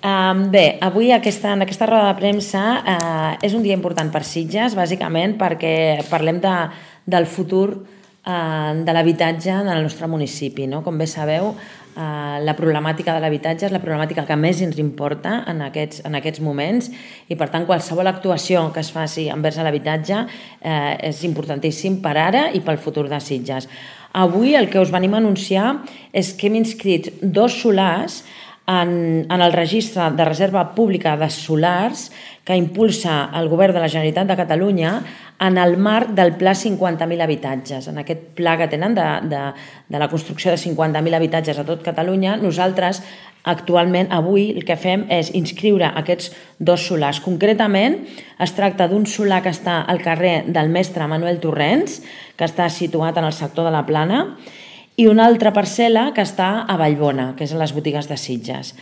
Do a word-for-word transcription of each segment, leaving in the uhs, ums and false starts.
Bé, avui aquesta, en aquesta roda de premsa eh, és un dia important per Sitges, bàsicament perquè parlem de, del futur eh, de l'habitatge en el nostre municipi. No? Com bé sabeu, eh, la problemàtica de l'habitatge és la problemàtica que més ens importa en aquests, en aquests moments i, per tant, qualsevol actuació que es faci envers l'habitatge eh, és importantíssim per ara i pel futur de Sitges. Avui el que us venim a anunciar és que hem inscrit dos solars En, en el registre de reserva pública de solars que impulsa el Govern de la Generalitat de Catalunya en el marc del Pla cinquanta mil habitatges. En aquest pla que tenen de, de, de la construcció de cinquanta mil habitatges a tot Catalunya, nosaltres actualment, avui, el que fem és inscriure aquests dos solars. Concretament, es tracta d'un solar que està al carrer del Mestre Manuel Torrents, que està situat en el sector de la Plana, i una altra parcel·la que està a Vallbona, que és a les botigues de Sitges.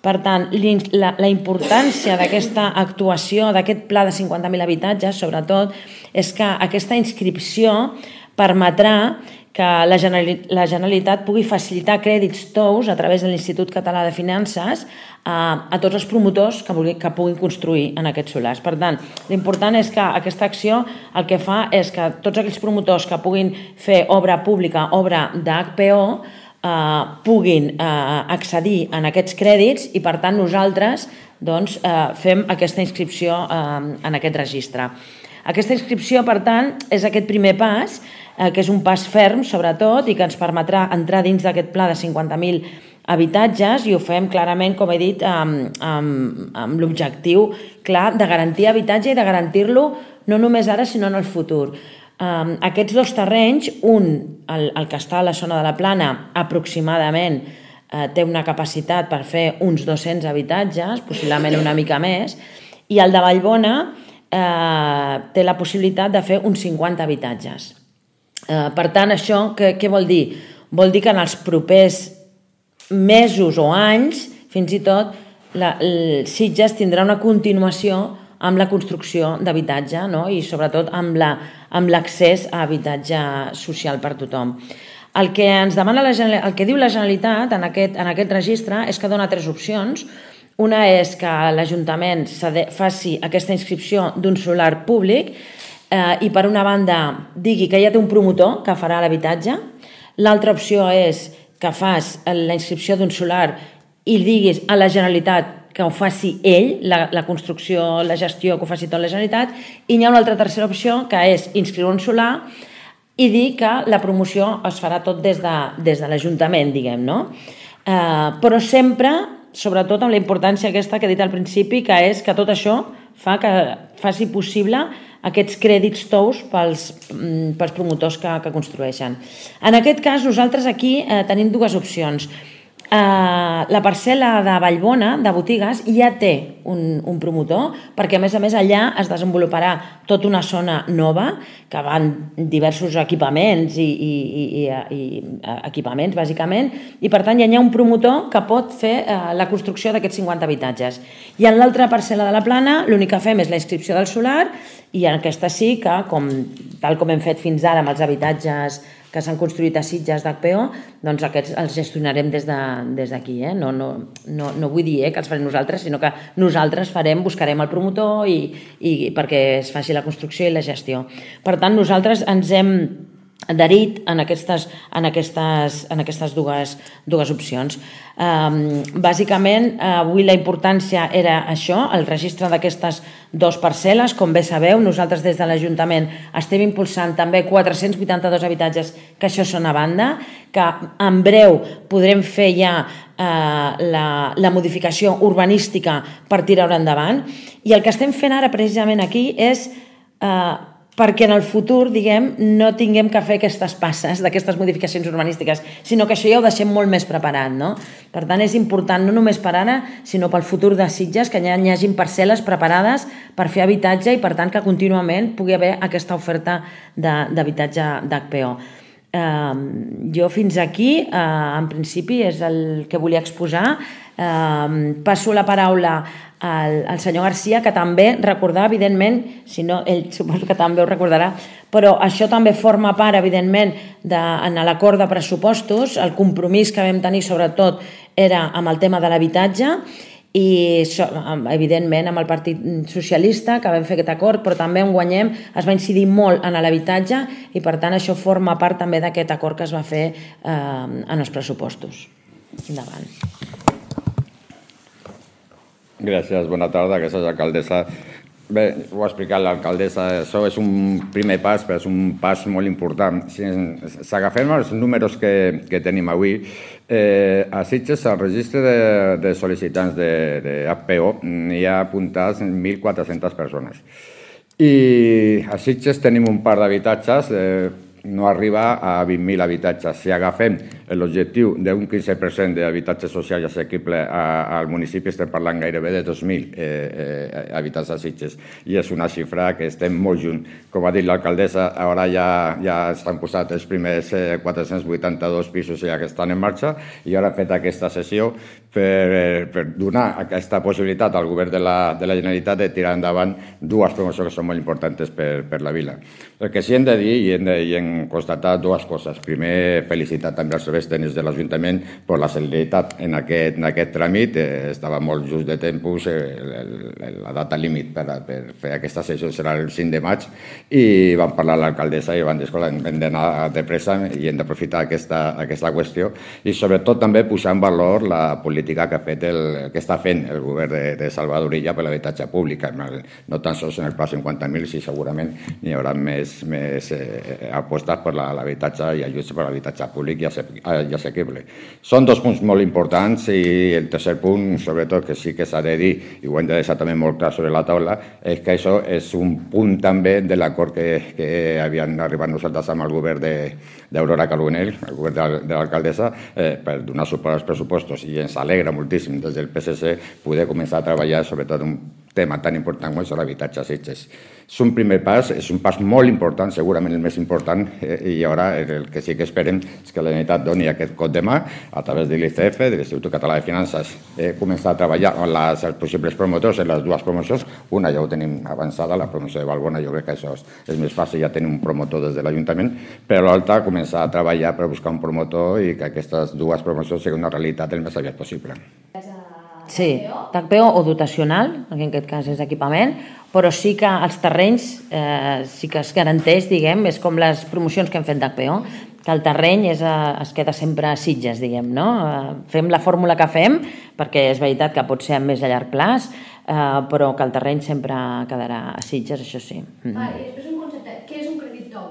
Per tant, la, la importància d'aquesta actuació, d'aquest pla de cinquanta mil habitatges, sobretot, és que aquesta inscripció permetrà que la Generalitat pugui facilitar crèdits tous a través de l'Institut Català de Finances a, a tots els promotors que, vulgui, que puguin construir en aquests solars. Per tant, l'important és que aquesta acció el que fa és que tots aquells promotors que puguin fer obra pública, obra d'H P O, eh, puguin eh, accedir en aquests crèdits i, per tant, nosaltres doncs, eh, fem aquesta inscripció eh, en aquest registre. Aquesta inscripció, per tant, és aquest primer pas, eh, que és un pas ferm, sobretot, i que ens permetrà entrar dins d'aquest pla de cinquanta mil habitatges, i ho fem clarament, com he dit, amb, amb, amb l'objectiu clar de garantir habitatge i de garantir-lo no només ara, sinó en el futur. Um, aquests dos terrenys, un, el, el que està a la zona de la Plana, aproximadament eh, té una capacitat per fer uns dos-cents habitatges, possiblement una mica més, i el de Vallbona eh, té la possibilitat de fer uns cinquanta habitatges. Eh, per tant, això què, què vol dir? Vol dir que en els propers mesos o anys, fins i tot, la, el Sitges tindrà una continuació amb la construcció d'habitatge, no? I sobretot amb la, amb l'accés a habitatge social per tothom. El que ens demana la, el que diu la Generalitat en aquest, en aquest registre és que dona tres opcions. Una és que l'Ajuntament faci aquesta inscripció d'un solar públic eh, i, per una banda, digui que ja té un promotor que farà l'habitatge. L'altra opció és que fas la inscripció d'un solar i diguis a la Generalitat que ho faci ell, la, la construcció, la gestió, que ho faci tot la Generalitat, i hi ha una altra tercera opció, que és inscriure un solar i dir que la promoció es farà tot des de, des de l'Ajuntament, diguem, no? Eh, però sempre, sobretot amb la importància aquesta que he dit al principi, que és que tot això fa que faci possible aquests crèdits tous pels, pels promotors que, que construeixen. En aquest cas, nosaltres aquí eh, tenim dues opcions. Eh, la parcel·la de Vallbona, de botigues, ja té un, un promotor, perquè a més a més allà es desenvoluparà tota una zona nova, que van diversos equipaments i, i, i, i equipaments, bàsicament, i per tant ja hi ha un promotor que pot fer eh, la construcció d'aquests cinquanta habitatges. I en l'altra parcel·la de la Plana, l'únic que fem és la inscripció del solar, i en aquesta sí que, com, tal com hem fet fins ara amb els habitatges que s'han construït a Sitges d'H P O, doncs aquests els gestionarem des d'aquí. Eh? No, no, no, no vull dir eh, que els farem nosaltres, sinó que nosaltres farem, buscarem el promotor i, i perquè es faci la construcció i la gestió. Per tant, nosaltres ens hem adherit en aquestes, en aquestes, en aquestes dues, dues opcions. Um, bàsicament, avui la importància era això, el registre d'aquestes dues parcel·les. Com bé sabeu, nosaltres des de l'Ajuntament estem impulsant també quatre-cents vuitanta-dos habitatges, que això són a banda, que en breu podrem fer ja eh, la, la modificació urbanística per tirar-ho endavant. I el que estem fent ara precisament aquí és eh, perquè en el futur, diguem, no tinguem que fer aquestes passes d'aquestes modificacions urbanístiques, sinó que això ja ho deixem molt més preparat, no? Per tant, és important no només per ara, sinó pel futur de Sitges, que ja hi hagin parcel·les preparades per fer habitatge i, per tant, que contínuament pugui haver aquesta oferta d'habitatge d'H P O. Eh, jo fins aquí, eh, en principi, és el que volia exposar. Eh, passo la paraula al, al senyor Garcia, que també recordar, evidentment, si no, ell suposo que també ho recordarà, però això també forma part, evidentment, de, en l'acord de pressupostos. El compromís que vam tenir, sobretot, era amb el tema de l'habitatge, i evidentment amb el Partit Socialista, que vam fer aquest acord, però també on guanyem es va incidir molt en l'habitatge i per tant això forma part també d'aquest acord que es va fer en els pressupostos. Endavant. Gràcies, bona tarda, aquesta és l'alcaldessa. Bé, ho ha explicat l'alcaldessa, això és un primer pas, però és un pas molt important. Si agafem els números que, que tenim avui, eh, a Sitges, al registre de, de sol·licitants de, de H P O, hi ha apuntats mil quatre-centes persones. I a Sitges tenim un parc d'habitatges, eh, no arriba a vint mil habitatges. Si agafem l'objectiu d'un quinze per cent d'habitatge social i assequible al municipi, estem parlant gairebé de dos mil eh, habitatges a Sitges. I és una xifra que estem molt lluny. Com ha dit l'alcaldessa, ara ja, ja s'han posat els primers eh, quatre-cents vuitanta-dos pisos ja que estan en marxa i ara hem fet aquesta sessió per, per donar aquesta possibilitat al govern de la, de la Generalitat de tirar endavant dues promocions que són molt importants per, per la vila. El que sí hem de dir i hem, de, i hem constatat dues coses. Primer, felicitar també els serveis tècnics de l'Ajuntament per la celeritat en aquest, en aquest tràmit. Eh, estava molt just de temps, eh, la data límit per, per fer aquesta sessió serà el cinc de maig i vam parlar a l'alcaldessa i van dir, escolta, hem d'anar de pressa i hem d'aprofitar aquesta, aquesta qüestió i sobretot també posar en valor la política que ha fet el, que està fent el govern de, de Salvador Illa per l'habitatge públic. No tan sols en el pla cinquanta mil, si segurament n'hi haurà més, més eh, apostes per l'habitatge i ajuts per l'habitatge públic i assequible. Són dos punts molt importants i el tercer punt, sobretot, que sí que s'ha de dir, i ho hem de deixar també molt clar sobre la taula, és que això és un punt també de l'acord que, que havien arribat nosaltres amb el govern d'Aurora Carbonell, el govern de, de l'alcaldessa, eh, per donar suport als pressupostos i ens alegra moltíssim des del P S C poder començar a treballar sobretot un tema tan important com és l'habitatge a Sitges. És un primer pas, és un pas molt important, segurament el més important, eh, i ara el que sí que esperem és que la Generalitat doni aquest cop de mà a través de l'I C F, de l'Institut Català de Finances, eh, començar a treballar amb les, els possibles promotors en les dues promocions. Una ja ho tenim avançada, la promoció de Valbona, jo crec que això és, és més fàcil, ja tenim un promotor des de l'Ajuntament, però l'altra començar a treballar per buscar un promotor i que aquestes dues promocions siguin una realitat el més aviat possible. Sí, H P O o dotacional, que en aquest cas és equipament, però sí que els terrenys eh, sí que es garanteix, diguem, és com les promocions que hem fet d'H P O, que el terreny és, es queda sempre a Sitges, diguem, no? Fem la fórmula que fem, perquè és veritat que pot ser a més a llarg plaç, eh, però que el terreny sempre quedarà a Sitges, això sí. Mm. Ah, i després un concepte, què és un crèdit tou?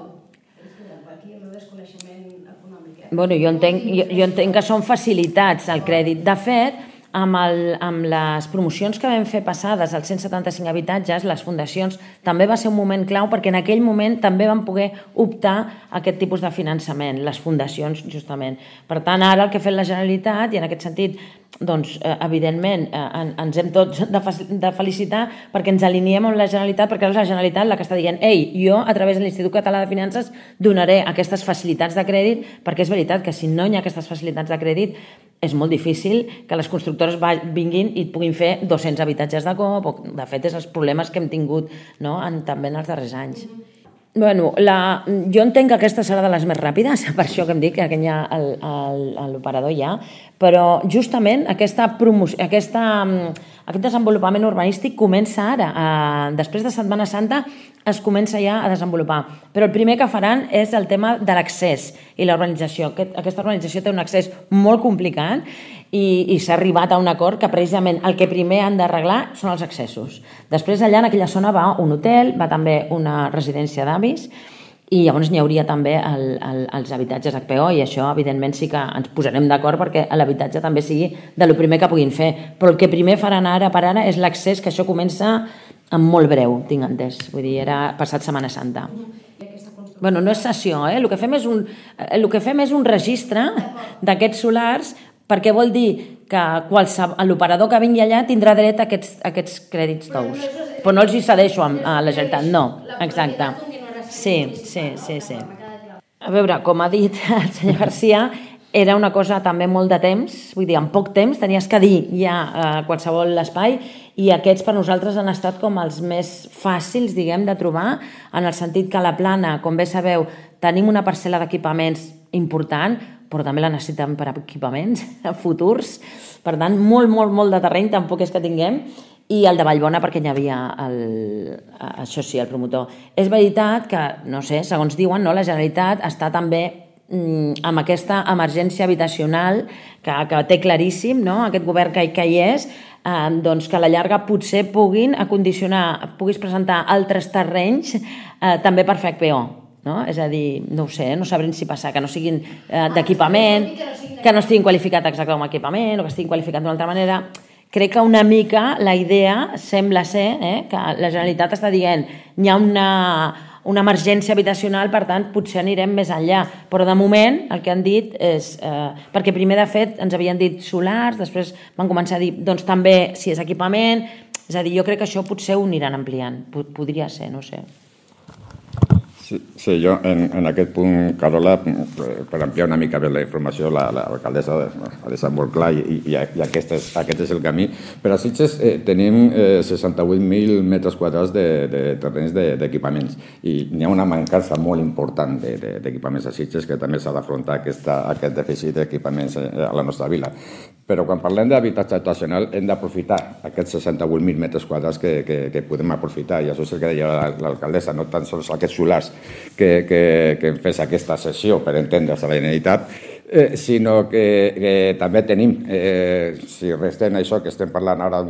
Aquí el meu desconeixement econòmic. Bueno, jo entenc, jo, jo entenc que són facilitats al crèdit. De fet, Amb, el, amb les promocions que vam fer passades als cent setanta-cinc habitatges, les fundacions també va ser un moment clau perquè en aquell moment també van poder optar a aquest tipus de finançament, les fundacions justament. Per tant, ara el que ha fet la Generalitat, i en aquest sentit, doncs, eh, evidentment, eh, ens hem tots de, de felicitar perquè ens aliniem amb la Generalitat, perquè és la Generalitat la que està dient ei, jo a través de l'Institut Català de Finances donaré aquestes facilitats de crèdit, perquè és veritat que si no hi ha aquestes facilitats de crèdit és molt difícil que les constructores vinguin i puguin fer dos-cents habitatges de cop, o de fet és els problemes que hem tingut, no? en, també en els darrers anys. Bueno, la, jo entenc que aquesta serà de les més ràpides, per això que em dic que l'operador ja, però justament aquesta promoció, aquesta, aquest desenvolupament urbanístic comença ara. Eh, després de Setmana Santa es comença ja a desenvolupar. Però el primer que faran és el tema de l'accés i la urbanització. Aquest, aquesta urbanització té un accés molt complicat i, i s'ha arribat a un acord que precisament el que primer han d'arreglar són els accessos. Després allà en aquella zona va un hotel, va també una residència d'avis i llavors n'hi hauria també el, el, els habitatges H P O i això evidentment sí que ens posarem d'acord perquè l'habitatge també sigui de lo primer que puguin fer. Però el que primer faran ara per ara és l'accés, que això comença en molt breu, tinc entès. Vull dir, era passat Setmana Santa. Bueno, no és sessió, eh? El que fem és un, el que fem és un registre d'aquests solars perquè vol dir que l'operador que vingui allà tindrà dret a aquests, a aquests crèdits tous. Però no els hi cedeixo a, a la Generalitat, no. Exacte. Sí, sí, sí, sí. A veure, com ha dit el senyor Garcia, era una cosa també molt de temps, vull dir, en poc temps tenies que dir ja eh, qualsevol espai i aquests per nosaltres han estat com els més fàcils, diguem, de trobar, en el sentit que a la Plana, com bé sabeu, tenim una parcel·la d'equipaments important, però també la necessitem per equipaments futurs. Per tant, molt, molt, molt de terreny, tampoc és que tinguem, i el de Vallbona perquè hi havia el, això sí, el promotor. És veritat que, no sé, segons diuen, no, la Generalitat està també mm, amb aquesta emergència habitacional que, que té claríssim, no? Aquest govern que, que hi és, eh, doncs que a la llarga potser puguin acondicionar, puguis presentar altres terrenys eh, també per fer H P O. No? És a dir, no ho sé, no sabrem si passar, que no siguin eh, d'equipament, que no estiguin qualificats exactament com a equipament o que estiguin qualificats d'una altra manera. Crec que una mica la idea sembla ser eh, que la Generalitat està dient hi ha una, una emergència habitacional, per tant, potser anirem més enllà. Però de moment el que han dit és... Eh, perquè primer, de fet, ens havien dit solars, després van començar a dir doncs també si és equipament... És a dir, jo crec que això potser ho aniran ampliant. Podria ser, no sé. Sí, sí, jo en, en aquest punt, Carola, per ampliar una mica més la informació, l'alcaldessa ha deixat molt clar i, i, i aquest, és, aquest és el camí. Per a Sitges eh, tenim eh, seixanta-vuit mil metres quadrats de, de terrenys d'equipaments de, i n'hi ha una mancança molt important d'equipaments de, de a Sitges que també s'ha d'afrontar aquest dèficit d'equipaments a la nostra vila. Però quan parlem d'habitatge habitacional hem d'aprofitar aquests seixanta-vuit mil metres quadrats que, que, que podem aprofitar, i això és el que deia l'alcaldessa, no tan sols aquests solars que, que, que fes aquesta sessió per entendre's a la Generalitat, eh, sinó que, que també tenim, eh, si restem això que estem parlant ara,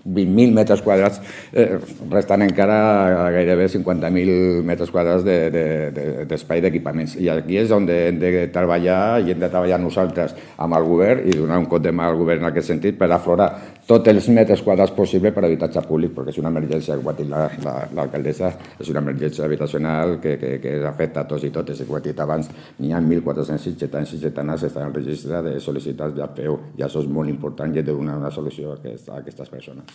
vint mil metres quadrats, eh, restant encara gairebé cinquanta mil metres quadrats d'espai de, de, d'equipaments. I aquí és on hem de treballar i hem de treballar nosaltres amb el govern i donar un cop de mà al govern en aquest sentit per aflorar tots els metres quadrats possibles per a habitatge públic, perquè és una emergència, com ha dit l'alcaldessa, és una emergència habitacional que, que, que afecta a tots i totes. I com ha dit abans, n'hi ha mil quatre-cents sitgetans i sitgetanes que estan al registre de sol·licitats d'H P O, i això és molt important i he de donar una solució a, aquest, a aquestes persones.